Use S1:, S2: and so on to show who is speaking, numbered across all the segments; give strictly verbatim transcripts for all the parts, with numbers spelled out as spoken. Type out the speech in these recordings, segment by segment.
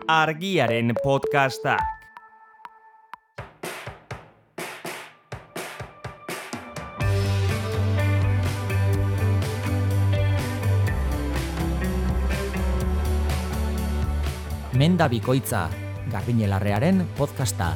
S1: Argiaren podcastak.
S2: Menda bikoitza, Garbiñelarrearen podcasta.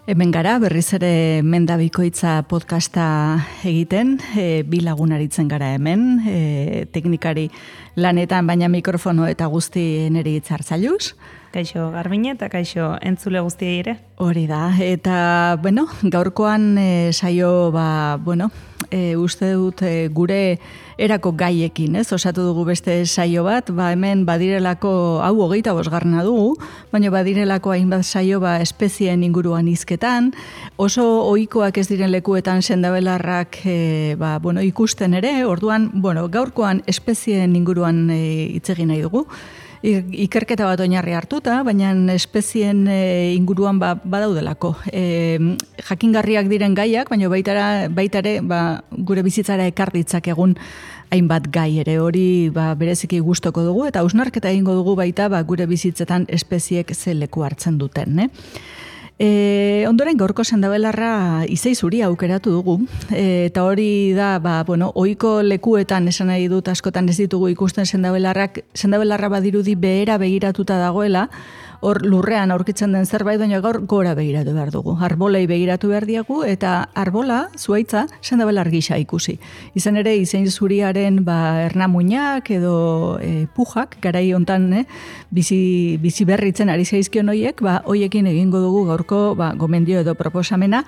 S3: Hemen gara, berriz ere Menda bikoitza podcasta egiten, e, bi lagun aritzen gara hemen, e, teknikari lanetan, baina mikrofono eta guzti neri itzartzailuz.
S4: Kaixo Garbine eta kaixo entzule guztiei ere.
S3: Hori da, eta, bueno, gaurkoan e, saio, ba, bueno, e, uste dut e, gure erako gaiekin, ez? Osatu dugu beste saio bat, ba, hemen badirelako, hau hogeita bosgarrena dugu, baina badirelako hainbat saio, ba, espezien inguruan hizketan, oso ohikoak ez diren lekuetan sendabelarrak, e, ba, bueno, ikusten ere, orduan, bueno, gaurkoan espezien inguruan e, hitz egin nahi dugu. Ikerketa bat oinarri hartuta, baina espezien e, inguruan ba, badaudelako. E, jakingarriak diren gaiak, baina baitara, baitare ba, gure bizitzara ekar ditzakegun hainbat gai ere hori ba, bereziki gustoko dugu, eta hausnarketa egingo dugu baita ba, gure bizitzetan espeziek ze leku hartzen duten. Eh? E, ondoren gaurko sendabelarra izei zuri aukeratu dugu, e, eta hori da, ba, bueno, ohiko lekuetan esan nahi dut askotan ez ditugu ikusten sendabelarrak, sendabelarra badirudi behera begiratuta dagoela, hor lurrean aurkitzen den zerbait, baina gaur gora begiratu behar dugu. Arbolei begiratu behar diagu, eta arbola, zuaitza, sendabelar gisa ikusi. Izan ere, izein zuriaren ba, ernamuinak edo e, pujak, garai hontan eh, bizi, bizi berritzen ari zaizkion hoiek, ba, hoiekin egingo dugu gaurko ba, gomendio edo proposamena,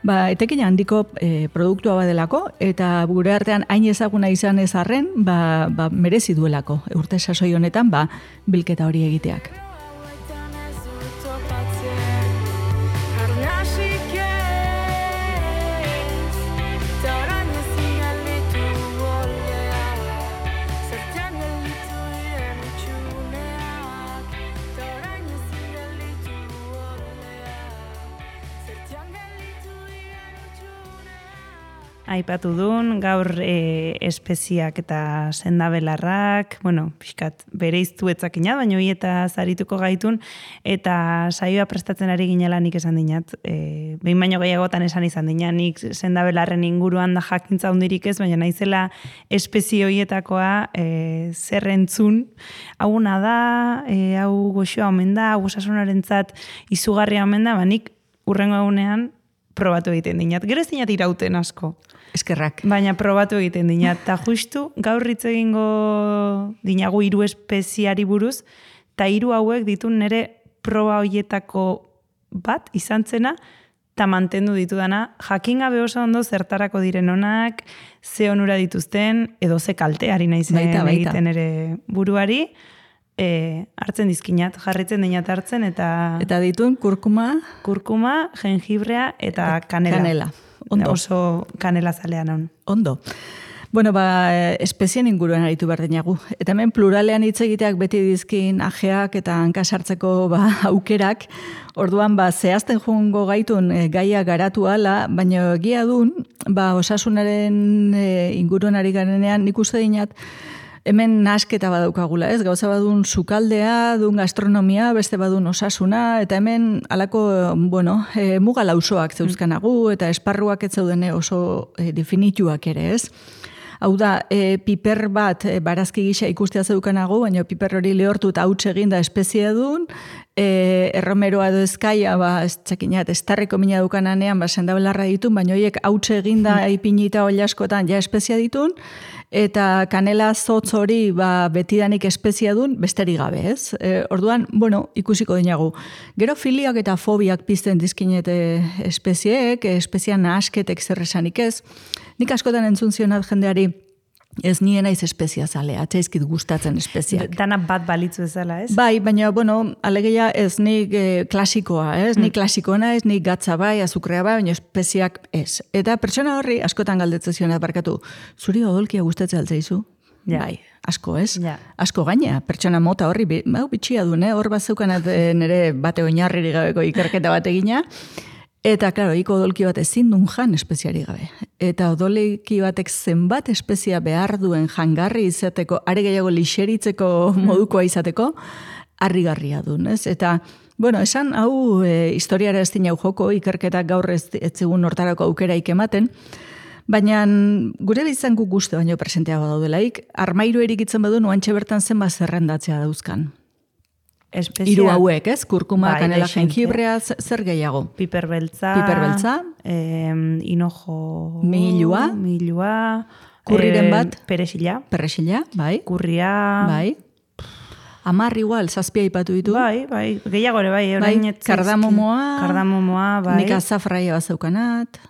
S3: ba, etekin handiko e, produktua badelako, eta gure artean hain ezaguna izan ez arren, ba, ba, merezi duelako, urte sasoi honetan, ba, bilketa hori egiteak.
S4: Aipatu duen, gaur e, espeziak eta sendabelarrak, bueno, pixkat bere iztu etzakina, baina hori eta zarituko gaitun, eta saioa prestatzen ari ginela nik esan dinat. E, behin baino gehiagotan esan izan dina, nik sendabelarren inguruan da jakintza hundirik ez, baina naizela espezie horietakoa e, zer entzun. Hauna da, e, hau goxoa omen da, hau osasunarentzat izugarria omen da, ba nik urrengo egunean probatu egiten dinat. Gero ez dinat irauten asko.
S3: Eskerrak.
S4: Baina probatu egiten dinat. Ta justu gaur hitz egingo dinagu hiru espeziari buruz, eta hiru hauek ditu nire proba hoietako bat izan zena, eta mantendu ditudana, jakin gabe oso ondo zertarako diren onak, ze onura dituzten, edo ze kalteari naizen
S3: baita, baita.
S4: egiten ere buruari, E, hartzen dizkinat, jarritzen dinat hartzen, eta...
S3: Eta dituen kurkuma...
S4: Kurkuma, jengibrea eta kanela.
S3: Kanela, ondo.
S4: Oso kanela zalean hon.
S3: Ondo. Bueno, ba, espezien inguruan aritu behar dinagu. Eta hemen pluralean hitz egiteak beti dizkin ajeak eta hankasartzeko ba, aukerak. Orduan, ba, zehazten joango gaitun e, gaia garatu ala, baina egia dun, ba, osasunaren e, inguruan ari garenean, nik uste dinat, hemen nasketa badaukagula, ez? Gauza badun sukaldea, dun gastronomia, beste badun osasuna, eta hemen alako, bueno, e, muga lausoak zeuzkanagu, eta esparruak ez zaudene oso e, definituak ere, ez? Hau da, e, piper bat e, barazki gisa ikustea zeukanagu, baina piper hori lehortu eta hautsa eginda espezie dun, e, erromeroa edo ezkaia, ba, ez txakinat, estarriko mina dukananean, ba, sendabelarra ditun, baina horiek hautsa eginda mm. ipinita oli askotan ja espezia ditun, eta kanela zotz hori ba, betidanik espezia dun, besterik gabe, ez? E, orduan, bueno, ikusiko dinagu. Gero filiak eta fobiak pizten dizkinete espezieek, espezian nahasketek zerresanik ez. Nik askotan entzun zionat jendeari, ez nien naiz espezia zalea, atzaizkit gustatzen espeziak.
S4: Dana bat balitzu ezala, ez?
S3: Bai, baina, bueno, alegia ez nik eh, klasikoa, ez? Mm. Nik klasikoa ez, nik gatza bai, azukrea bai, baina espeziak ez. Eta pertsona horri askotan galdetzen zionat barkatu, zuri odolkia gustatzen altzaizu? Ja. Bai, asko ez? Ja. Asko gaina, pertsona mota horri, hau bitxia du, hor bat zeukanat nire bate oinarriri gabeko ikerketa bat egina, Eta, klaro, iko odolki bat ezin duen jan espeziari gabe. Eta odolki batek zenbat espezia behar duen jangarri izateko, are gehiago lixeritzeko modukoa izateko, harrigarria duen, ez? Eta, bueno, esan hau e, historiara ez dina joko, ikerketak gaur ez, ez zigun hortarako aukeraik ematen, baina gure bizan guk guzti baino presenteago daudelaik, armairu erikitzen badu nuantxe bertan zenba zerrendatzea dauzkan.
S4: Espezia...
S3: Hiru hauek, ez? Kurkuma,
S4: bai,
S3: kanela,
S4: dexente.
S3: jengibrea, zer gehiago?
S4: Piperbeltza,
S3: Piperbeltza,
S4: eh, hinojo...
S3: Milua,
S4: milua,
S3: kurriren bat,
S4: peresila,
S3: perresila, bai,
S4: kurria,
S3: bai, amar igual, zazpia ipatu ditu,
S4: bai, bai, gehiago ere, bai,
S3: bai,
S4: orain ez zaizki-
S3: kardamomoa,
S4: kardamomoa, bai,
S3: nik azafraia bat zeukanat,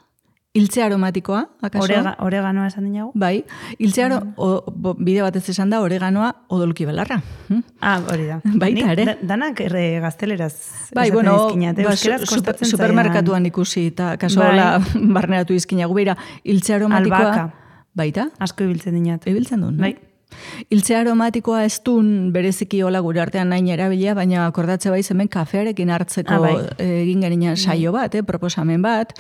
S3: iltze aromatikoa, akaso?
S4: Orega, oreganoa esan dinago?
S3: Bai, iltze aro, o, bo, bide batez esan da, oreganoa odolki belarra. Hm?
S4: Ah, hori da.
S3: Baita
S4: Nik
S3: ere.
S4: da- Danak erre gazteleraz
S3: Bai,
S4: esaten
S3: bueno,
S4: dizkinat,
S3: ba,
S4: euskeraz
S3: su-
S4: kostatzen
S3: supermerkatuan ikusi, eta kaso
S4: Bai.
S3: hola barneratu izkinagu. Beira, iltze aromatikoa...
S4: Albaka.
S3: Baita?
S4: asko ibiltzen dinat.
S3: Ibiltzen duen,
S4: Bai.
S3: Iltze aromatikoa ez duen bereziki hola gure artean nahi erabilia, baina akordatze baiz hemen kafearekin hartzeko
S4: Ah, bai.
S3: eh, egin geninan saio bat, eh, proposamen bat.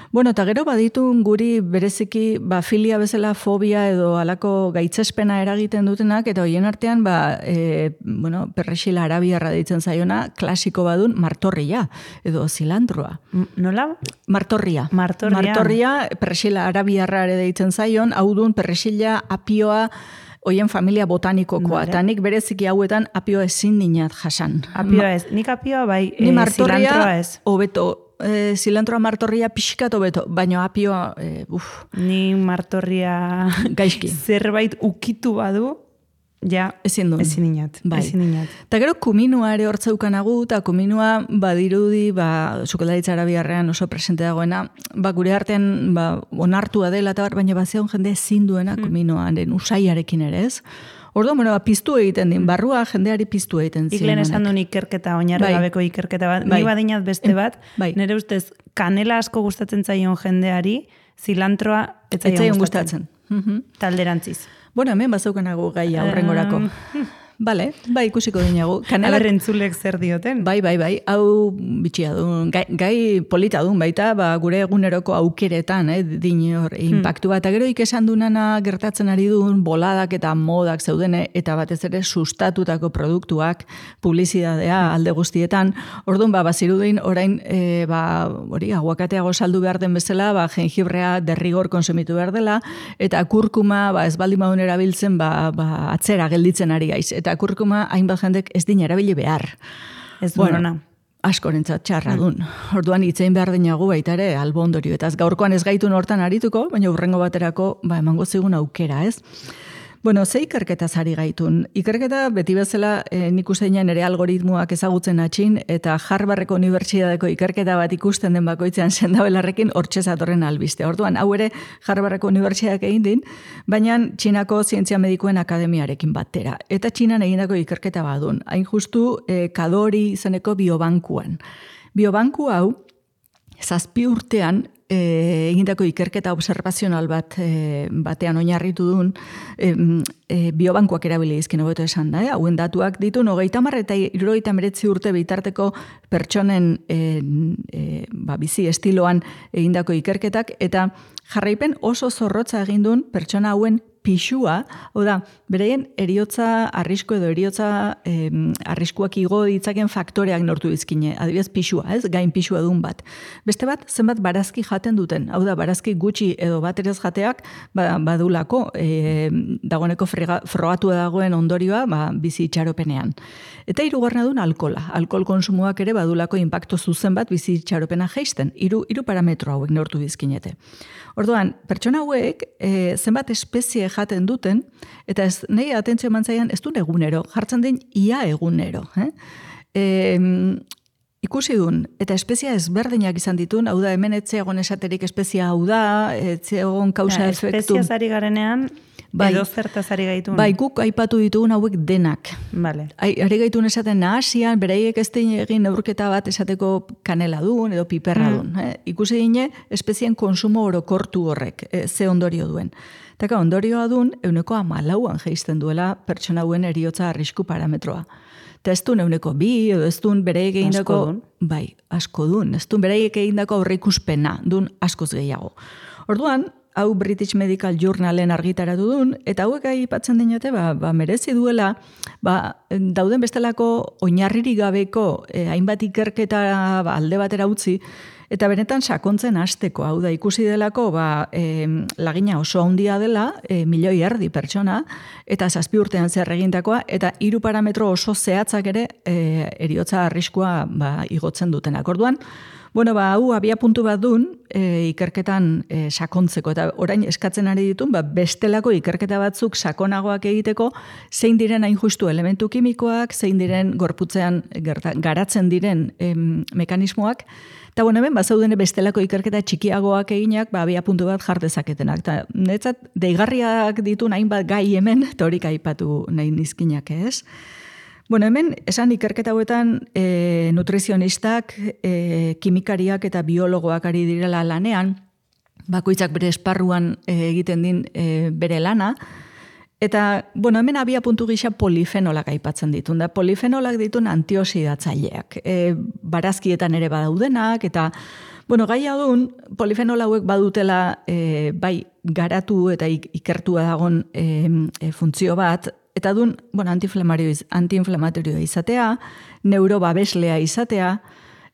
S3: Bueno, eta gero baditun guri bereziki ba, filia bezala fobia edo alako gaitzespena eragiten dutenak, eta hoien artean ba, e, bueno, perrexila arabiarra deitzen zaiona, klasiko badun martorria edo zilantroa.
S4: M- Nola?
S3: Martorria.
S4: Martorria.
S3: Martorria, perrexila arabiarra ere deitzen zaion, hau dun perrexila apioa hoien familia botanikokoa,
S4: Vale.
S3: eta nik bereziki hauetan apioa ezin dinat jasan.
S4: Apioa ez. Nik apioa bai,
S3: Ni
S4: eh,
S3: martorria,
S4: zilantroa ez.
S3: hobeto, e, zilantroa martorria pixkat hobeto, baina apioa, e, uf,
S4: Ni martorria
S3: gaizki.
S4: zerbait ukitu badu, ja,
S3: Ezin duen.
S4: ezin inat.
S3: Bai.
S4: Ezin inat.
S3: Eta gero kuminua ere hortzeukanagu, eta kuminua badirudi, ba, sukaldaritza arabiarrean oso presente dagoena, ba, gure artean ba, onartua dela, eta bar, baina bazion jende ezin duena
S4: Hmm.
S3: kuminoaren usaiarekin ere, ez? Ordo, bueno, ba, piztu egiten din, barrua jendeari piztu egiten
S4: Ik lehen esan
S3: zionanek.
S4: duen ikerketa, oinarri
S3: Bai.
S4: gabeko ikerketa bat.
S3: Bai.
S4: Ni badinat beste bat,
S3: Bai.
S4: nire ustez kanela asko gustatzen zaion jendeari, zilantroa ez
S3: Ez zaion
S4: zaion
S3: gustatzen.
S4: gustatzen.
S3: Mhm.
S4: Talderantziz.
S3: Bueno, hemen bazaukanago gai aurrengorako. Bale, bai, ikusiko dinagu. Kanela,
S4: Aber entzulek zer dioten.
S3: bai, bai, bai, hau bitxia duen, gai, gai polita duen baita, ba, gure eguneroko aukeretan, eh, din hor, impactu bat. Eta gero ikesan dunana gertatzen ari duen, boladak eta modak zeudene, eta batez ere sustatutako produktuak, publizidadea alde guztietan. Orduan, ba, bazirudin, orain, e, ba, hori, aguakateago saldu behar den bezala, ba, jengibrea derrigor konsumitu behar dela, eta kurkuma, ba, ez baldin badun erabiltzen, ba, ba, atzera gelditzen ari gaiz. Eta kurkuma hainbat jendek ez din erabili behar.
S4: Ez du
S3: Bueno,
S4: ona.
S3: askorentzat txarra dun. Orduan hitzein behar dinagu baita ere albondorio. Eta ez gaurkoan ez gaitun hortan arituko, baina urrengo baterako ba, emango zigun aukera, ez? Bueno, ze ikerketa zari gaitun. Ikerketa beti bezala e, nik usteinen ere algoritmoak ezagutzen atxin, eta Harvardeko unibertsitateko ikerketa bat ikusten den bakoitzean sendabelarrekin hortxe zatorren albiste. Orduan, hau ere Harvardeko unibertsitateak egin din, baina Txinako Zientzia Medikuen Akademiarekin batera. Eta Txinan egindako ikerketa badun. Hain justu e, Kadori izeneko biobankuan. Biobanku hau, zazpi urtean, E, egindako ikerketa observazional bat e, batean oinarritu duen e, e, biobankuak erabili izkin hobeto esan da, eh? Hauen datuak ditu hogeita hamar eta hirurogeita hemeretzi urte bitarteko pertsonen e, e, ba, bizi estiloan egindako ikerketak, eta jarraipen oso zorrotza egin duen pertsona hauen pixua, hau da, bereien eriotza arrisku edo eriotza eh, arriskuak igo ditzaken faktoreak nortu dizkine, adibidez pixua, ez, gain pixua dun bat. Beste bat, zenbat barazki jaten duten, hau da, barazki gutxi edo bat ere jateak ba, badulako, e, dagoeneko frega, frogatu dagoen ondorioa ba, bizi itxaropenean. Eta hirugarrena dun alkola, alkohol konsumoak ere badulako inpaktu zuzen bat bizi itxaropena jeisten, hiru hiru parametro hauek nortu dizkinete. Orduan, pertsona hauek e, zenbat espezie jaten duten, eta ez, nahi atentzio eman zaian, ez duen egunero, jartzen den ia egunero. Eh? E, ikusi duen, eta espezia ezberdinak izan ditun, hau da, hemen etzeagon esaterik espezia hau da, etzeagon kausa
S4: Ja,
S3: efektu.
S4: espeziaz ari garenean,
S3: Bai,
S4: edo zertaz ari gaitun?
S3: Bai, guk aipatu ditugun hauek denak.
S4: Vale.
S3: Ari gaitun esaten nahasian, beraiek ez dein egin neurketa bat esateko kanela dun edo piperra dun. Mm. Eh? Ikusi dine, espezien konsumo orokortu horrek, eh, ze ondorio duen. Taka ondorioa dun, euneko amalauan geizten duela pertsona hauen eriotza arrisku parametroa. Eta ez duen euneko bi, edo ez duen bereiek egindako... Bai, asko dun. Ez duen bereiek egindako aurreikuspena, dun askoz gehiago. Orduan, hau British Medical Journalen argitaratu duen, eta hauek aipatzen dinate, ba, ba, merezi duela, ba, dauden bestelako oinarririk gabeko eh, hainbat ikerketa ba, alde batera utzi, eta benetan sakontzen hasteko, hau da ikusi delako, ba, eh, lagina oso handia dela, eh, milioi erdi pertsona, eta zazpi urtean zer egindakoa, eta hiru parametro oso zehatzak ere eh, eriotza arriskua ba, igotzen dutenak. Orduan, bueno, ba, hau abia puntu bat dun, e, ikerketan e, sakontzeko, eta orain eskatzen ari ditun, ba, bestelako ikerketa batzuk sakonagoak egiteko, zein diren hain justu elementu kimikoak, zein diren gorputzean gerta, garatzen diren em, mekanismoak, eta bueno, hemen, bazauden bestelako ikerketa txikiagoak eginak, ba, abia puntu bat jardezaketenak. Eta netzat, deigarriak ditu hainbat gai hemen, eta horik aipatu nahi nizkinak ez. Bueno, hemen, esan ikerketa hauetan e, nutrizionistak, e, kimikariak eta biologoak ari direla lanean, bakoitzak bere esparruan e, egiten din e, bere lana, eta, bueno, hemen abia puntu gisa polifenolak aipatzen ditun, da polifenolak ditun antioxidatzaileak, e, barazkietan ere badaudenak, eta, bueno, gai adun, polifenol hauek badutela e, bai garatu eta ikertua dagon e, e, funtzio bat, eta dun, bueno, antiinflamatorioa izatea, neurobabeslea izatea,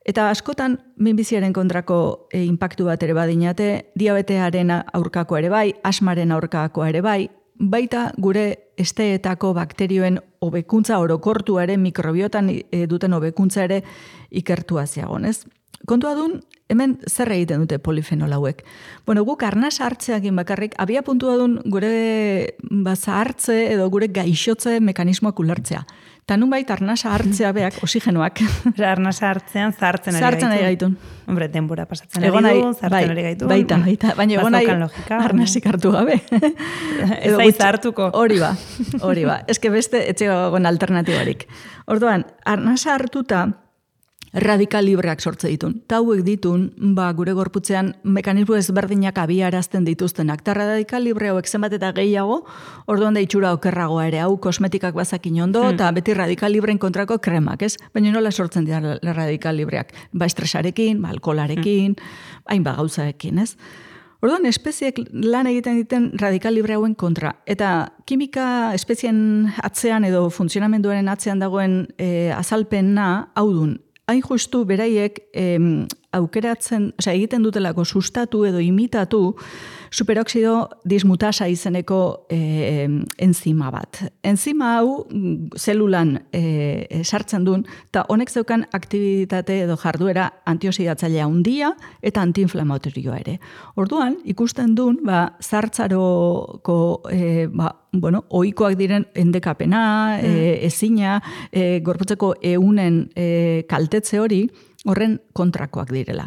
S3: eta askotan minbiziaren kontrako e, impactu bat ere badinate, diabetearen aurkako ere bai, asmaren aurkako ere bai, baita gure esteetako bakterioen hobekuntza orokortuaren mikrobiotan e, duten hobekuntza ere ikertua ziagonez. Kontua dun, hemen zer egiten dute polifenol hauek. Bueno, guk arnas hartzeakin bakarrik, abia puntua dun gure zahartze edo gure gaixotze mekanismoak ulertzea. Ta nun baita arnasa hartzea beak, osigenoak.
S4: Arnasa hartzean zartzen ari
S3: zartzen ari gaitun.
S4: Hombre, denbora pasatzen ari du, zartzen ari gaitun.
S3: Baita, baita. Baina egon nahi arnasik hartu gabe.
S4: Ez aiz hartuko.
S3: Hori ba, hori ba. Ez que beste etxegoen alternatibarik. Orduan, arnasa hartuta, radikal libreak sortze ditun. Ta hauek ditun, ba, gure gorputzean mekanismo ezberdinak abiarazten dituztenak. Ta radikal libre hauek zenbat eta gehiago, orduan da itxura okerragoa ere, hau kosmetikak bazakin ondo, eta hmm. beti radikal libreen kontrako kremak, ez? Baina nola sortzen dira radikal libreak? Ba, estresarekin, ba, alkolarekin, hmm. hain ba, gauzaekin, ez? Orduan, espeziek lan egiten diten radikal libre hauen kontra. Eta kimika espezien atzean edo funtzionamenduaren atzean dagoen e, azalpena hau dun. Hain justu beraiek em, aukeratzen, osea, egiten dutelako sustatu edo imitatu superoxido dismutasa izeneko e, enzima bat. Enzima hau zelulan e, sartzen duen, eta honek zeukan aktibitate edo jarduera antioxidatzailea handia eta antiinflamatorioa ere. Orduan, ikusten duen, ba, zartzaroko e, ba, bueno, ohikoak diren endekapena, mm. e, ezina, e, gorputzeko eunen e, kaltetze hori, horren kontrakoak direla.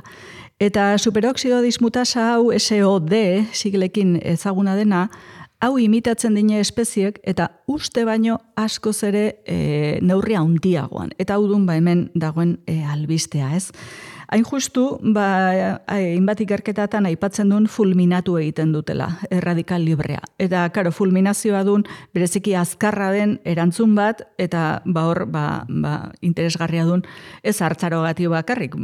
S3: Eta superoxido dismutasa hau S O D siglekin ezaguna dena, hau imitatzen dine espeziek eta uste baino askoz ere e, neurria handiagoan. Eta hau dun ba hemen dagoen e, albistea, ez? Hain justu, ba, hainbat ikerketatan aipatzen duen fulminatu egiten dutela, erradikal librea. Eta, karo, fulminazioa duen bereziki azkarra den erantzun bat, eta ba hor, ba, ba, interesgarria duen ez hartzarogatio bakarrik,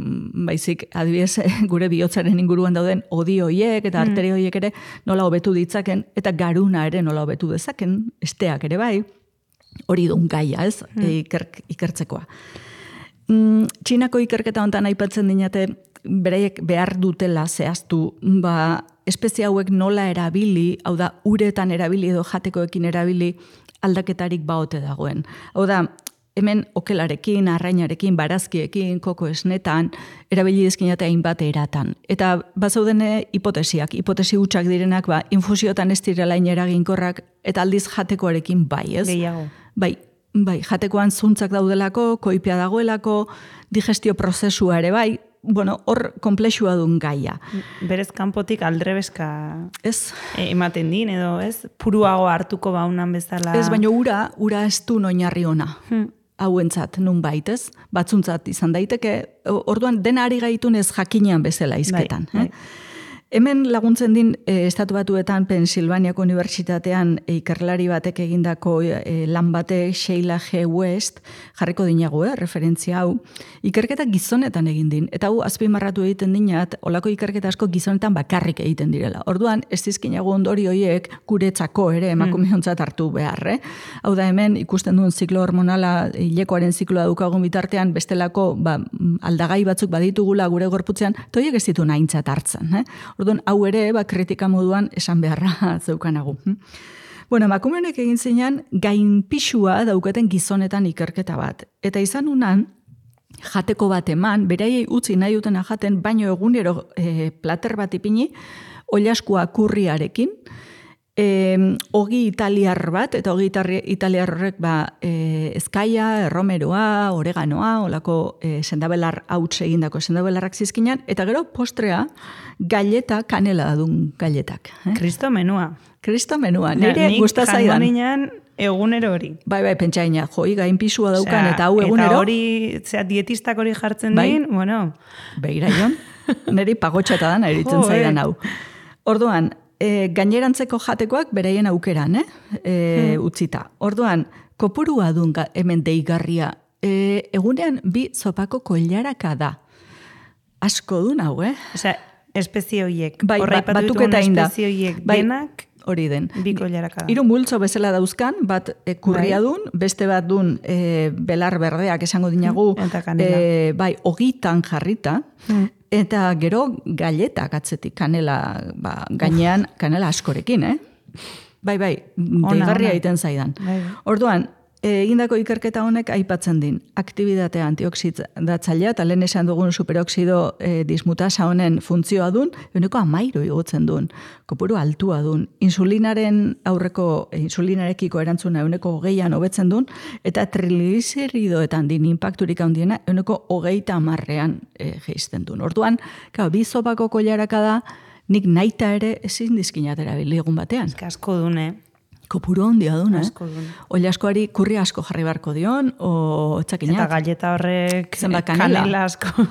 S3: baizik, adibidez, gure bihotzaren inguruan dauden odi hoiek eta arteri hoiek ere nola hobetu ditzaken, eta garuna ere nola hobetu dezaken, esteak ere bai, hori duen gaia, ez, mm. iker, ikertzekoa. Txinako ikerketa hontan aipatzen dinate beraiek behar dutela zehaztu, ba, espezie hauek nola erabili, hau da, uretan erabili edo jatekoekin erabili aldaketarik baote dagoen. Hau da, hemen okelarekin, arrainarekin, barazkiekin, koko esnetan, erabili dizkinate hainbat eratan. Eta bazaudene hipotesiak, hipotesi hutsak direnak, ba, infusiotan ez direla eraginkorrak, eta aldiz jatekoarekin bai, ez?
S4: Gehiago.
S3: Bai. Bai, jatekoan zuntzak daudelako, koipia dagoelako, digestio prozesua ere bai, bueno, hor komplexua duen gaia.
S4: Berez kanpotik aldrebeska
S3: Ez?
S4: ematen din, edo ez? Puruago hartuko baunan bezala.
S3: Ez, baina ura, ura ez du oinarri ona.
S4: Hmm.
S3: Hauentzat, nun baitez, batzuntzat izan daiteke, orduan dena ari gaitun ez jakinean bezala izketan.
S4: Bai, bai.
S3: Eh? Hemen laguntzen din, e, Estatu Batuetan, Pensilvaniako Unibertsitatean e, ikerlari batek egindako e, lan batek, Sheila G. West, jarriko dinago, eh, referentzia hau, ikerketa gizonetan egin din, eta hau azpimarratu egiten dinat, olako ikerketa asko gizonetan bakarrik egiten direla. Orduan, ez dizkinago ondori horiek guretzako ere emakumeontzat hartu behar, eh? Hau da hemen, ikusten duen ziklo hormonala, hilekoaren zikloa dukagun bitartean, bestelako ba, aldagai batzuk baditugula gure gorputzean, toiek ez ditu nahintzat hartzen, eh? Orduan, hau ere, ba, kritika moduan esan beharra zeukanagu. Bueno, emakumeonek egin zeinan, gainpixua daukaten gizonetan ikerketa bat. Eta izan unan, jateko bat eman, beraiei utzi nahi dutena jaten, baino egunero e, plater bat ipini, oilaskua kurriarekin, e, ogi italiar bat, eta ogi italiar horrek ba, e, ezkaia, erromeroa, oreganoa, olako e, sendabelar hauts egindako sendabelarrak zizkinan, eta gero postrea, galleta, kanela dun galletak. Eh?
S4: Kristo menua.
S3: Kristo menua. Nire gustazaidan.
S4: Nik jango egunero hori.
S3: Bai, bai, pentsaina, joi, gainpisua daukan, eta hau egunero.
S4: Eta hori, zera, dietistak hori jartzen bai, din, bueno.
S3: Begira, Jon, niri pagotxata da, eritzen zaidan hau. Orduan, e, gainerantzeko jatekoak beraien aukeran, eh? E, hmm. utzita. Orduan, kopurua dun hemen deigarria, e, egunean bi zopako koilaraka da. Asko dun hau, eh?
S4: Osea, espezie horiek.
S3: Bai,
S4: Horra
S3: ba, batuketa inda.
S4: Espezie horiek
S3: bai,
S4: denak.
S3: Hori den.
S4: Biko jaraka.
S3: Hiru multzo bezala dauzkan, bat e, kurria
S4: bai.
S3: dun, beste bat dun e, belar berdeak esango dinagu,
S4: eta kanela.
S3: E, bai, ogitan jarrita, mm. eta gero galetak atzetik, kanela, ba, gainean kanela askorekin, eh? Bai, bai, deigarria egiten zaidan.
S4: Bai.
S3: Orduan, egindako ikerketa honek aipatzen din. Aktibitate antioxidatzailea eta lehen esan dugun superoxido e, dismutasa honen funtzioa dun, eguneko amairu igotzen dun, kopuru altua dun, insulinaren aurreko, e, insulinarekiko erantzuna eguneko hogeian hobetzen dun, eta trigliceridoetan din impacturik handiena eguneko hogeita amarrean e, geizten dun. Orduan, kao, bi zopako koilaraka da, nik naita ere ezin dizkinatera biligun batean.
S4: Ez asko dune.
S3: Kopuru handia duna, eh?
S4: Asko dune.
S3: Oilaskoari kurri asko jarri barko dion, o etzakinat.
S4: Eta galleta horrek
S3: zenbat kanela.
S4: kanela asko.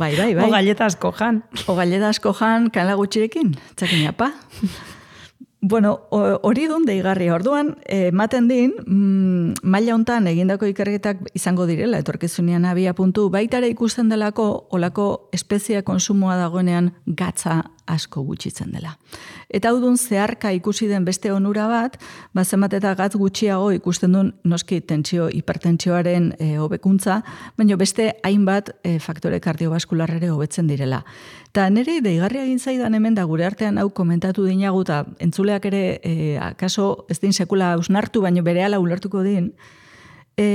S3: bai, bai, bai.
S4: O galleta asko jan.
S3: O galleta asko jan kanela gutxirekin, etzakinapa. Bueno, hori dun deigarri. Orduan, ematen din, mm, maila hontan egindako ikerketak izango direla, etorkizunean abia puntu, baitare ikusten delako, olako espezie konsumoa dagoenean gatza asko gutxitzen dela. Eta hau dun zeharka ikusi den beste onura bat, ba zenbat eta gatz gutxiago ikusten duen noski tentsio, hipertentsioaren e, hobekuntza, baina beste hainbat e, faktore kardiobaskularrere hobetzen direla. Eta nire deigarria egin zaidan hemen da gure artean hau komentatu dinagu, eta entzuleak ere e, akaso ez din sekula ausnartu, baina berehala ulertuko din, e,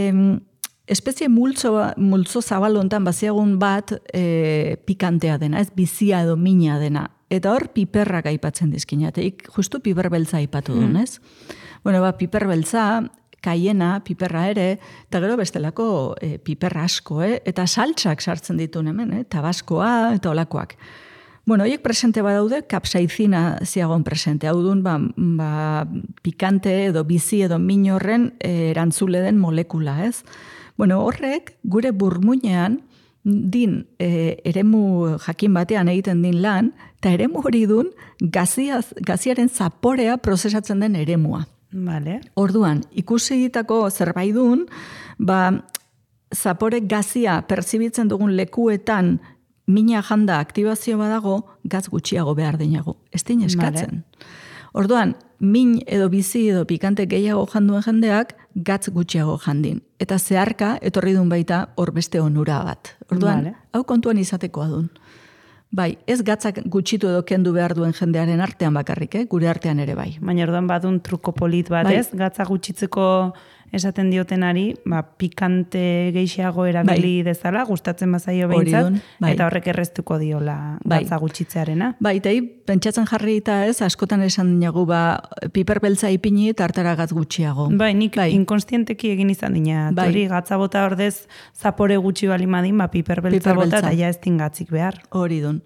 S3: espezie multzo, multzo zabal hontan baziagun bat e, pikantea dena, ez bizia edo mina dena. Eta hor piperrak aipatzen dizkinateik, justu piper beltza aipatu duen, ez? Bueno, ba, piper beltza, kaiena, piperra ere, eta gero bestelako e, piperra asko, eh? Eta saltsak sartzen dituen hemen, eh? Tabaskoa eta olakoak. Bueno, horiek presente badaude, kapsaizina ziagon presente. Hau dun, ba, ba, pikante edo bizi edo min horren e, erantzule den molekula, ez? Bueno, horrek, gure burmuinean, din e, eremu jakin batean egiten din lan, eta eremu hori dun gaziaz, gaziaren zaporea prozesatzen den eremua.
S4: Vale.
S3: Orduan, ikusitako zerbait dun, ba, zapore gazia pertsibitzen dugun lekuetan mina janda aktibazio badago, gaz gutxiago behar dinago. Ez din eskatzen. Vale. Orduan, min edo bizi edo pikante gehiago janduen jendeak, gatz gutxiago jandin. Eta zeharka, etorri dun baita, hor beste onura bat. Orduan, vale. Hau kontuan izatekoa dun. Bai, ez gatzak gutxitu edo kendu behar duen jendearen artean bakarrik, eh? Gure artean ere bai.
S4: Baina orduan badun truko polit bat, bai. Ez? Gatza gutxitzeko esaten diotenari, ba, pikante geixiago erabili bai. dezala, gustatzen bazaio behintzat, bai. eta horrek erreztuko diola bai. gatza gutxitzearena.
S3: Bai, eta pentsatzen jarri eta ez, askotan esan dinagu, ba, piper beltza ipini tartara gatz gutxiago.
S4: Bai, nik bai. inkonstienteki egin izan dina. Bai. Hori, gatza bota ordez, zapore gutxi bali madin, ba, piper beltza bota, eta ja ez tingatzik behar.
S3: Hori dun.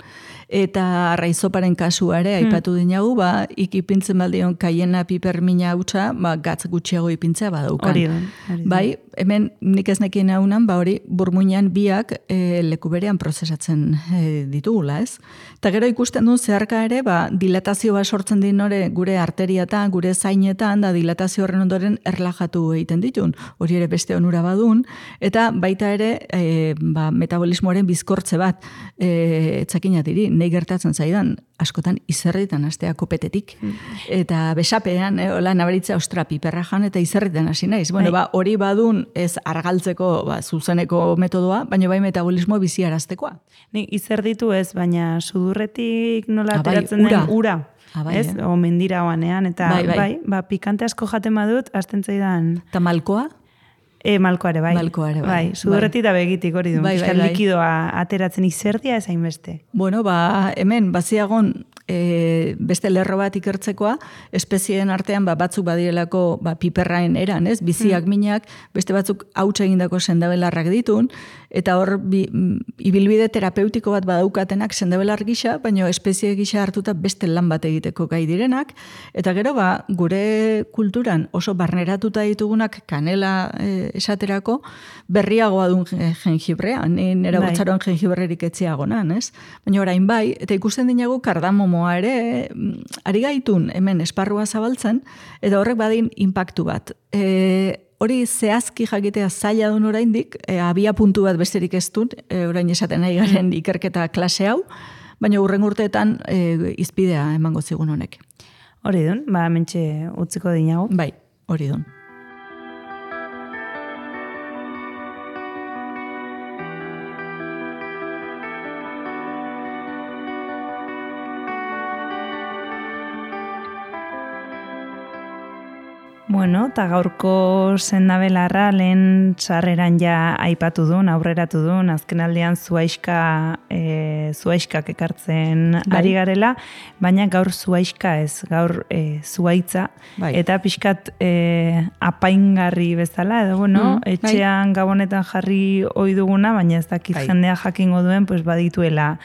S3: Eta raizoparen kasuare, aipatu hmm. dinagu, ba, ikipintzen baldion kaiena pipermina hautsa, ba, gatz gutxiago ipintzea badaukan.
S4: Hori dun.
S3: Bai, hemen nik ez nekien haunan, ba hori, burmuinan biak e, leku berean prozesatzen e, ditugula, ez? Eta gero ikusten du zeharka ere, ba, dilatazio bat sortzen din nore gure arteriatan, gure zainetan, da dilatazio horren ondoren erlajatu egiten ditun. Hori ere beste onura badun, eta baita ere e, ba, metabolismoaren bizkortze bat e, etzakinat diri, nei gertatzen zaidan, askotan izerritan astea kopetetik. Mm. Eta besapean, eh, hola, nabaritza ostra piperra jan, eta izerritan hasi naiz. Bueno, ba, hori badun ez argaltzeko ba, zuzeneko metodoa, baina bai metabolismo biziaraztekoa.
S4: Ni izerditu ez, baina sudurretik nola ateratzen den ura. Abai, ez? Eh? O mendira oanean, eta bai, bai. bai, ba, pikante asko jaten badut, azten zaidan.
S3: Eta malkoa?
S4: E, malkoare, bai.
S3: Malkoare, bai.
S4: bai sudurretik bai. Da begitik hori du.
S3: Bai, bai, bai.
S4: Likidoa ateratzen izerdia ez hainbeste.
S3: Bueno, ba, hemen, baziagon e, beste lerro bat ikertzekoa, espezieen artean ba, batzuk badirelako ba, piperraen eran, ez? Biziak hmm. minak, beste batzuk hautsa egindako sendabelarrak ditun, eta hor bi, ibilbide terapeutiko bat badaukatenak sendabelar gisa, baina espezie gisa hartuta beste lan bat egiteko gai direnak, eta gero ba, gure kulturan oso barneratuta ditugunak kanela e, esaterako, berriagoa duen jengibrea, ni nera botxaroan jengibrerik etziagonan, ez? Baina orain bai, eta ikusten dinagu kardamomoa ere, ari gaitun hemen esparrua zabaltzen, eta horrek badin inpaktu bat. E, hori zehazki jakitea zaila duen oraindik, e, abia puntu bat besterik ez dut, e, orain esaten nahi garen ikerketa klase hau, baina hurren urteetan e, izpidea emango zigun honek.
S4: Hori dun, ba, mentxe utziko dinago.
S3: Bai, hori dun.
S4: Bueno, eta gaurko sendabelarra lehen sarreran ja aipatu duen, aurreratu duen, azken aldean zuaiska, e, zuaiskak ekartzen bai. Ari garela, baina gaur zuaiska ez, gaur e, zuaitza, bai. Eta pixkat e, apaingarri bezala, edo bueno, mm, etxean bai. Gabonetan jarri ohi duguna, baina ez dakit bai. Jendea jakingo duen, pues badituela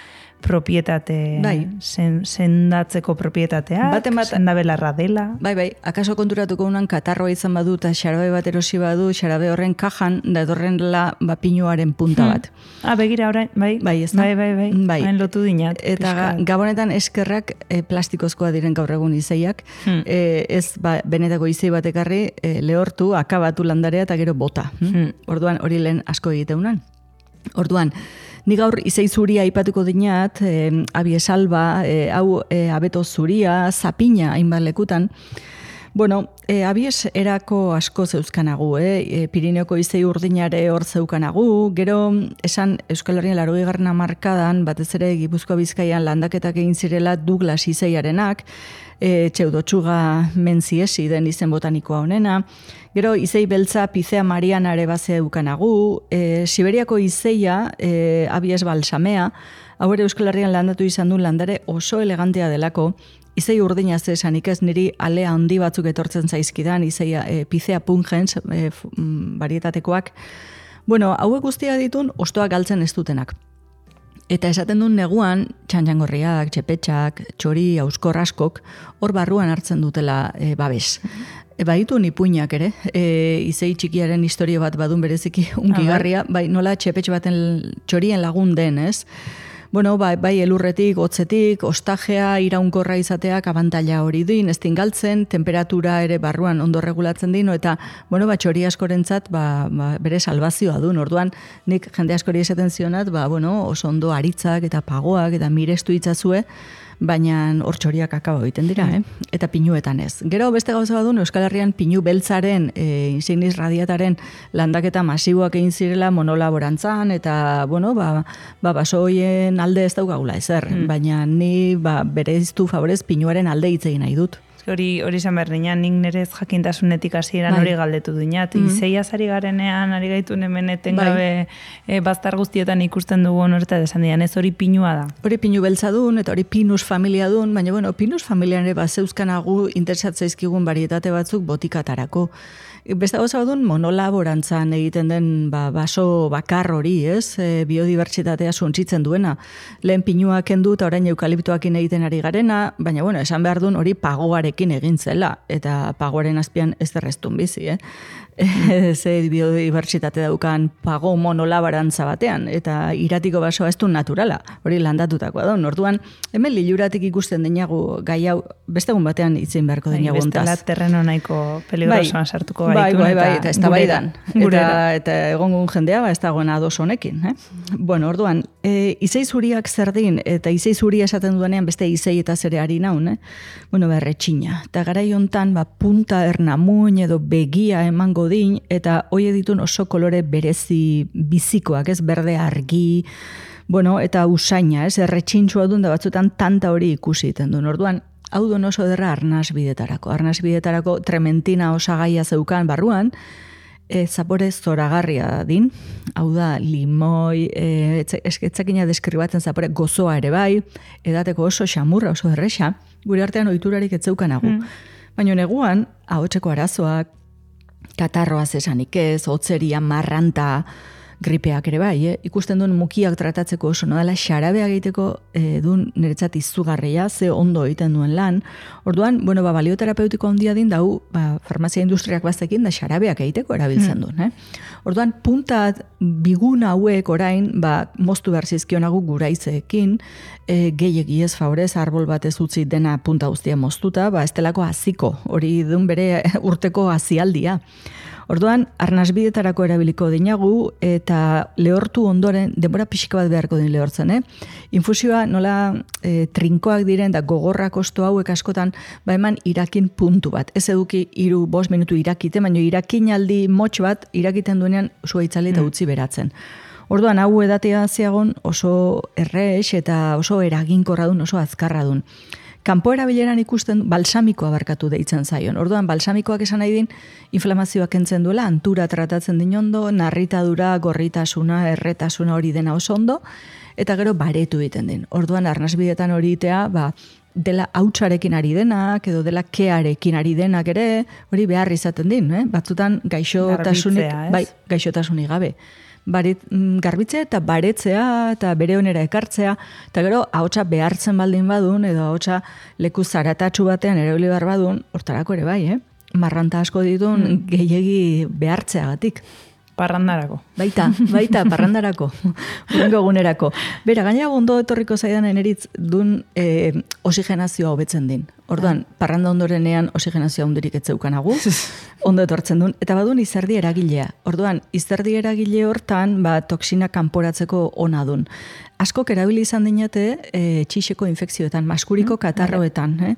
S4: propietate, bai. sen, sendatzeko propietatea, sendabelarra dela.
S3: Bai, bai, akaso konturatuko unan katarroa izan badu eta xarabe bat erosi badu, xarabe horren kajan, da edorren la ba, pinuaren punta bat.
S4: Hmm. Ah, begira orain, bai,
S3: bai, ez
S4: bai, bai, bai, bai. Hain lotu dinat.
S3: Eta ga, gabonetan eskerrak e, plastikozkoa diren gaur egun izeiak, hmm. e, ez ba, benetako izei bat ekarri, e, lehortu, akabatu landarea eta gero bota. Hmm? Orduan, hori lehen asko egiteunan. Orduan, ni gaur izei zuria aipatuko dinat, eh, abiesalba, eh, hau eh, abeto zuria, zapina hainbat lekutan. Bueno, eh, abies erako asko zeuzkanagu, eh? Pirineoko izei urdinare hor zeukanagu, gero esan Euskal Herrian larogei garren hamarkadan, batez ere Gipuzkoa Bizkaian landaketak egin zirela Douglas izeiarenak, e, txeudotxuga menziesi den izen botanikoa honena. Gero izei beltza Picea mariana ere baze eukanagu, e, Siberiako izeia e, abies balsamea, hau ere Euskal Herrian landatu izan du landare oso elegantea delako, izei urdina zesanik ez niri alea handi batzuk etortzen zaizkidan, izeia e, Picea pungens e, varietatekoak. Bueno, hauek guztia ditun ostoak galtzen ez dutenak. Eta esaten duen neguan, txantxangorriak, txepetxak, txori, auskor askok, hor barruan hartzen dutela e, babes. E, baditu nipuinak ere, e, izei txikiaren historio bat badun bereziki unkigarria, bai nola txepetx baten txorien lagun den, ez? Bueno, bai, bai elurretik, hotzetik, ostajea, iraunkorra izateak abantaila hori din, ez galtzen, temperatura ere barruan ondo regulatzen dino, eta, bueno, ba, txori askorentzat, ba, ba, bere salvazioa duen. Orduan, nik jende askori esaten zionat, ba, bueno, oso ondo aritzak eta pagoak eta mirestu itzazue, baina hor txoriak akaba egiten dira, eh? Eta pinuetan ez. Gero beste gauza badun, Euskal Herrian pinu beltzaren, e, insignis radiataren landaketa masiboak egin zirela monolaborantzan, eta, bueno, ba, ba basoien alde ez daukagula ezer, mm. baina ni ba, bere iztu favorez pinuaren alde hitz egin nahi dut.
S4: Hori hori izan behar nian, nik nerez jakintasunetik hasieran
S3: Bai.
S4: hori galdetu dinat. Mm -hmm. Izeiaz ari garenean, ari gaitun hemen etengabe e, baztar guztietan ikusten dugu horreta desan dian, ez hori pinua da.
S3: Hori pinu beltza dun, eta hori pinus familia dun, baina bueno, pinus familian ere bat zeuzkanagu interesatzaizkigun barietate batzuk botikatarako. Beste gauza badun monolaborantzan egiten den ba, baso bakar hori, ez? E, biodibertsitatea suntsitzen duena. Lehen pinua kendu eta orain eukaliptoakin egiten ari garena, baina bueno, esan behar duen hori pagoarekin egin zela, eta pagoaren azpian ez derreztun bizi, eh? Ze biodibertsitate daukan pago monolabarantza batean, eta iratiko basoa ez du naturala, hori landatutakoa da. Orduan, hemen liluratik ikusten denagu gai hau, beste egun batean itzin beharko denagu ontaz.
S4: Bestela terreno nahiko peligrosoan sartuko gaitun.
S3: Bai, bai, bai, eta ez da baidan. Eta, eta egongun jendea, ba, ez dagoen ados honekin. Eh? Bueno, orduan, e, izei zuriak zer din, eta izei zuria esaten duenean beste izei eta zere ari naun, eh? Bueno, berretxina. Eta garai hontan, ba, punta ernamuin edo begia emango din, eta hoi ditun oso kolore berezi bizikoak, ez, berde argi, bueno, eta usaina, ez, erretxintxua duen da batzutan tanta hori ikusi iten duen. Orduan, hau duen oso derra arnaz bidetarako. Arnaz bidetarako trementina osagaia zeukan barruan, e, zapore zoragarria din, hau da limoi, e, etzakina deskribatzen zapore gozoa ere bai, edateko oso xamurra, oso erresa, gure artean ohiturarik ez zeukanagu. Mm. Baina neguan, ahotseko arazoak, katarroaz esanik ez, hotzeria, marranta, gripeak ere bai, eh? Ikusten duen mukiak tratatzeko oso, no dela xarabea egiteko e, duen niretzat izugarria, ze ondo egiten duen lan. Orduan, bueno, ba, balioterapeutiko handia din, dau, ba, farmazia industriak baztekin, da xarabeak egiteko erabiltzen duen. Eh? Orduan, puntat bigun hauek orain, ba, moztu behar zizkionagu guraizeekin, e, gehiegi ez favorez, arbol batez utzi dena punta guztia moztuta, ba, estelako haziko, hori duen bere urteko hazialdia. Orduan, arnasbidetarako erabiliko dinagu, eta lehortu ondoren, denbora pixika bat beharko din lehortzen, eh? Infusioa nola e, trinkoak diren, da gogorrak osto hauek askotan, ba eman irakin puntu bat. Ez eduki iru, bost minutu irakite, baina irakin aldi motx bat, irakiten duenean zua itzali eta utzi beratzen. Orduan, hau edatea ziagon oso errex eta oso eraginkorra dun, oso azkarra dun. Kanpo erabileran ikusten balsamikoa barkatu deitzen zaion. Orduan, balsamikoak esan nahi din, inflamazioak entzen duela, antura tratatzen din ondo, narritadura, gorritasuna, erretasuna hori dena oso ondo, eta gero baretu egiten din. Orduan, arnasbidetan hori itea, ba, dela hautsarekin ari denak, edo dela kearekin ari denak ere, hori behar izaten din, eh? Batzutan gaixotasunik, bai, gaixotasunik gabe. Barit, garbitzea eta baretzea eta bere onera ekartzea, eta gero ahotsa behartzen baldin badun, edo ahotsa leku zaratatsu batean erabili behar badun, hortarako ere bai, eh? Marranta asko ditun hmm. gehiegi behartzeagatik.
S4: Parrandarako.
S3: Baita, baita, parrandarako. Urrengo egunerako. Bera, gaina ondo etorriko zaidan eneritz dun e, oxigenazioa hobetzen din. Orduan, parranda ondorenean oxigenazioa hundurik etzeukanagu, ondo etortzen duen, eta badun izerdi eragilea. Orduan, izerdi eragile hortan, ba, toksina kanporatzeko ona dun. Askok erabili izan dinate e, txixeko infekzioetan, maskuriko katarroetan. Eh?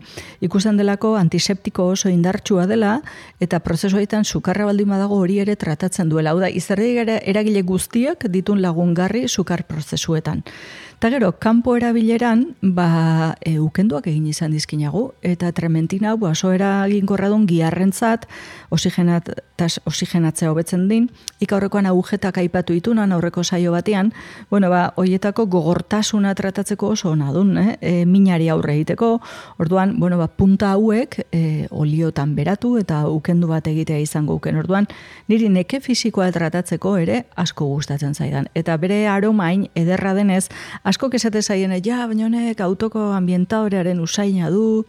S3: Ikusten delako antiseptiko oso indartsua dela, eta prozesuetan sukarra baldin badago hori ere tratatzen duela. Hau da, izerdi eragile guztiak ditun lagungarri sukar prozesuetan. Eta gero, kanpo erabileran, ba, e, ukenduak egin izan dizkinagu, eta trementina, ba, oso eraginkorra duen giarrentzat, oxigenatzea hobetzen din, ikaurrekoan agujetak aipatu itunan, aurreko saio batean, bueno, ba, hoietako gogortasuna tratatzeko oso ona dun, eh? E, minari aurre egiteko, orduan, bueno, ba, punta hauek e, oliotan beratu, eta ukendu bat egitea izango uken, orduan, niri neke fisikoa tratatzeko ere asko gustatzen zaidan, eta bere aromain ederra denez, asko kesate zaien, ja, baina honek autoko ambientadorearen usaina du,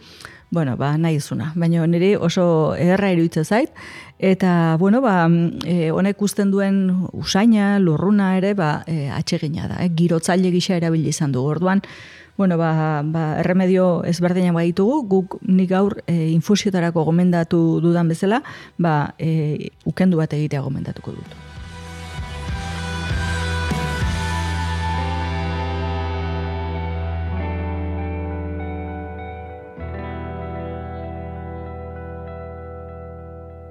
S3: bueno, ba, nahi izuna, baina niri oso ederra iruditzen zait, eta, bueno, ba, e, honek usten duen usaina, lurruna ere, ba, e, atsegina da, eh? Girotzaile gisa erabili izan du, orduan, bueno, ba, ba, erremedio ezberdinak baditugu, guk nik gaur e, infusiotarako gomendatu dudan bezala, ba, e, ukendu bat egitea gomendatuko dut.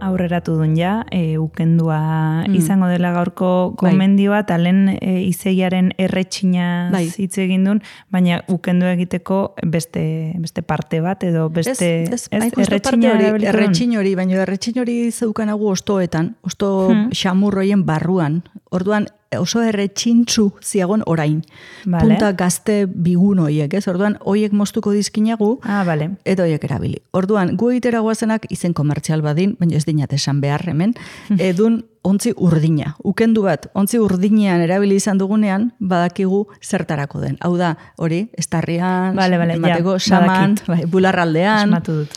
S4: aurreratu duen ja, e, ukendua
S3: Mm.
S4: izango dela gaurko
S3: Bai.
S4: gomendioa, eta lehen e, izegiaren erretxina
S3: Bai.
S4: hitz egin duen, baina ukendu egiteko beste, beste parte bat, edo beste
S3: Ez, ez, hain justu parte hori,
S4: erabiliko duen?
S3: erretxin hori, baina erretxin hori zeukanagu ostoetan, osto
S4: Hmm.
S3: xamurroien barruan. Orduan, oso erretxintzu ziagon orain.
S4: Vale.
S3: Punta gazte bigun hoiek, ez? Orduan, hoiek moztuko dizkinagu,
S4: Ah, bale.
S3: eta hoiek erabili. Orduan, gu egitera guazenak izen komertzial badin, baina ez dinat esan behar hemen, edun ontzi urdina. Ukendu bat, ontzi urdinean erabili izan dugunean, badakigu zertarako den. Hau da, hori, estarrian,
S4: Bale, bale,
S3: emateko,
S4: ja,
S3: saman,
S4: badakit.
S3: bai, bularraldean.
S4: Esmatu dut.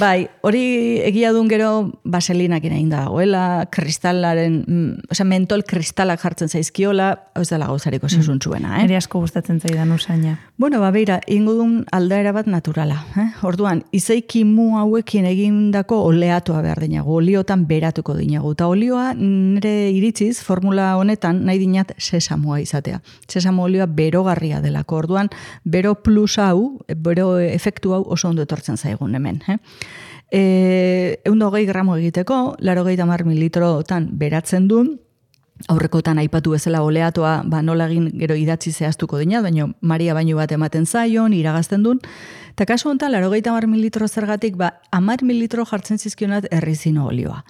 S3: Bai, hori egia duen gero baselinak egin dagoela, kristalaren, mm, osea, mentol kristalak jartzen zaizkiola, ez dela gauzariko zesuntzuena, eh?
S4: Eri asko gustatzen zaidan usaina.
S3: Bueno, ba, beira, ingo duen aldaera bat naturala. Eh? Orduan, izeiki mu hauekin egindako oleatua behar dinagu, oliotan beratuko dinagu. Eta olioa nire iritziz, formula honetan, nahi dinat sesamoa izatea. Sesamo olioa berogarria delako. Orduan, bero plus hau, bero efektu hau oso ondo etortzen zaigun hemen. Eh? E, eunda hogei gramo egiteko, laro gehi tamar mililitrotan beratzen duen, aurrekotan aipatu bezala oleatoa ba, nola egin gero idatzi zehaztuko dina, baina Maria baino bat ematen zaion, iragazten duen. Eta kasu honetan, laro gehi tamar mililitro zergatik, ba, amar mililitro jartzen zizkionat errizino olioa.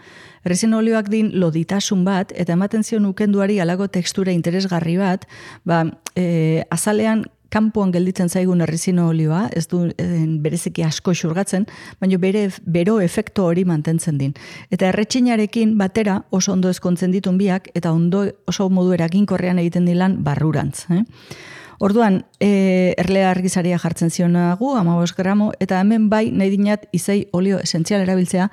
S3: Errizino olioak din loditasun bat, eta ematen zion ukenduari alako tekstura interesgarri bat, ba, e, azalean kanpoan gelditzen zaigun errizino olioa, ez du en, bereziki asko xurgatzen, baina bere bero efektu hori mantentzen din. Eta erretxinarekin batera oso ondo ezkontzen ditun biak, eta ondo oso modu eraginkorrean egiten dilan barrurantz. Eh? Orduan, e, erlea argizaria jartzen zionagu, hamabost gramo, eta hemen bai nahi dinat izei olio esentzial erabiltzea,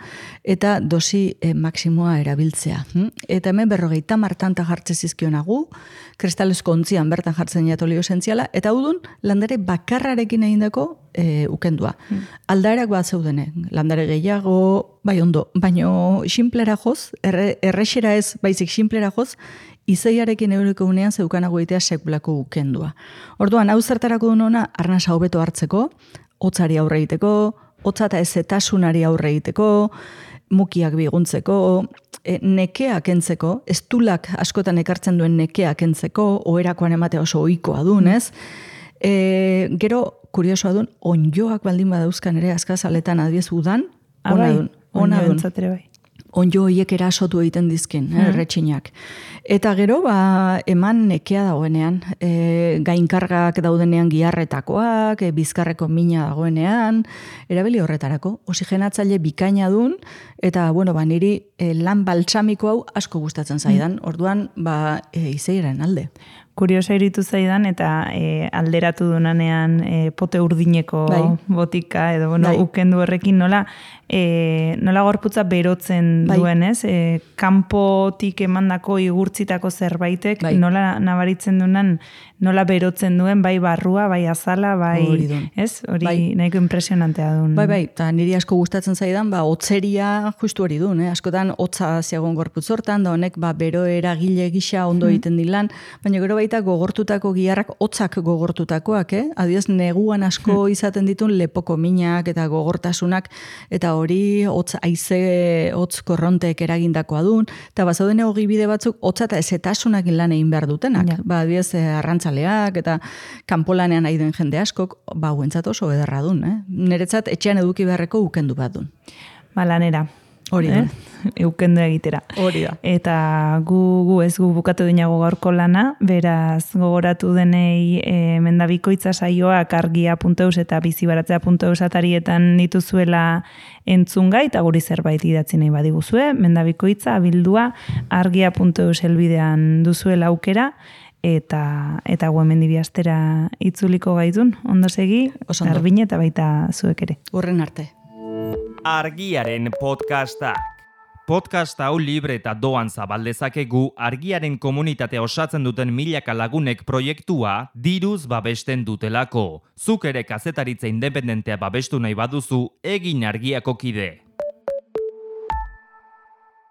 S3: eta dosi e, maksimoa erabiltzea. Hm? Eta hemen berrogeita martanta jartzen zizkionagu, kristalezko ontzian bertan jartzen jat olio esentziala, eta udun landare bakarrarekin egindako e, ukendua. Hmm. Aldaerak bat zeudene, landare gehiago, bai ondo, baino simplera joz, erre, errexera ez, baizik simplera joz, izeiarekin eureko unean zeukanago egitea sekulako ukendua. Orduan, hau zertarako duen ona, arnasa hobeto hartzeko, hotzari aurre egiteko, hotza eta ezetasunari aurre egiteko, mukiak biguntzeko, e, nekea kentzeko, estulak askotan ekartzen duen nekea kentzeko, oherakoan ematea oso ohikoa duen, ez? E, gero, kuriosoa duen, onjoak baldin badauzkan ere azkazaletan adiez udan, ona duen, ona duen.
S4: Bai.
S3: Onjo hoiek erasotu egiten dizkin, eh, erretxinak. Eta gero, ba, eman nekea dagoenean, e, gainkargak daudenean giharretakoak, e, bizkarreko mina dagoenean, erabili horretarako, oxigenatzaile bikaina dun, eta, bueno, ba, niri e, lan baltsamiko hau asko gustatzen zaidan, orduan, ba, e, izeiren alde.
S4: Kuriosa iritu zaidan, eta e, alderatu dunanean e, pote urdineko
S3: bai.
S4: botika, edo bueno,
S3: bai.
S4: ukendu horrekin nola, e, nola gorputza berotzen
S3: bai.
S4: duen, ez? E, kanpotik emandako igurtzitako zerbaitek,
S3: bai.
S4: nola nabaritzen duenan, nola berotzen duen, bai barrua, bai azala, bai,
S3: hori dun.
S4: ez? Hori
S3: bai.
S4: nahiko impresionantea duen.
S3: Bai, bai, eta niri asko gustatzen zaidan, ba, otzeria justu hori duen, eh? Askotan hotza ziagon gorputz hortan, da honek, ba, bero eragile gisa ondo egiten dilan, baina gero baita gogortutako giharrak, hotzak gogortutakoak, eh? Adiez, neguan asko izaten ditun lepoko minak eta gogortasunak, eta hori hotz haize, hotz korrontek eragindakoa duen, eta bazauden ogibide batzuk, hotza eta ezetasunak lan egin behar dutenak.
S4: Ja.
S3: Ba, adiez, arrantzaleak eta kanpolanean nahi duen jende askok, ba, huentzat oso ederra duen, eh? Niretzat etxean eduki beharreko ukendu bat duen.
S4: Ba, lanera.
S3: Hori da.
S4: Eh? Eukendu egitera.
S3: Hori da.
S4: Eta gu, gu ez gu bukatu dinago gaurko lana, beraz gogoratu denei e, mendabikoitza saioak argia puntu eus eta bizibaratzea puntu eus atarietan dituzuela entzungai, eta guri zerbait idatzi nahi badiguzue, mendabikoitza abildua argia puntu eus helbidean duzuela aukera, eta eta guemendi bihaztera itzuliko gaitun, ondo segi,
S3: Oso ondo.
S4: Garbine eta baita zuek ere.
S3: Urren arte.
S1: Argiaren podcastak. Podcast hau libre eta doan zabaldezakegu argiaren komunitatea osatzen duten milaka lagunek proiektua diruz babesten dutelako. Zuk ere kazetaritza independentea babestu nahi baduzu, egin argiako kide.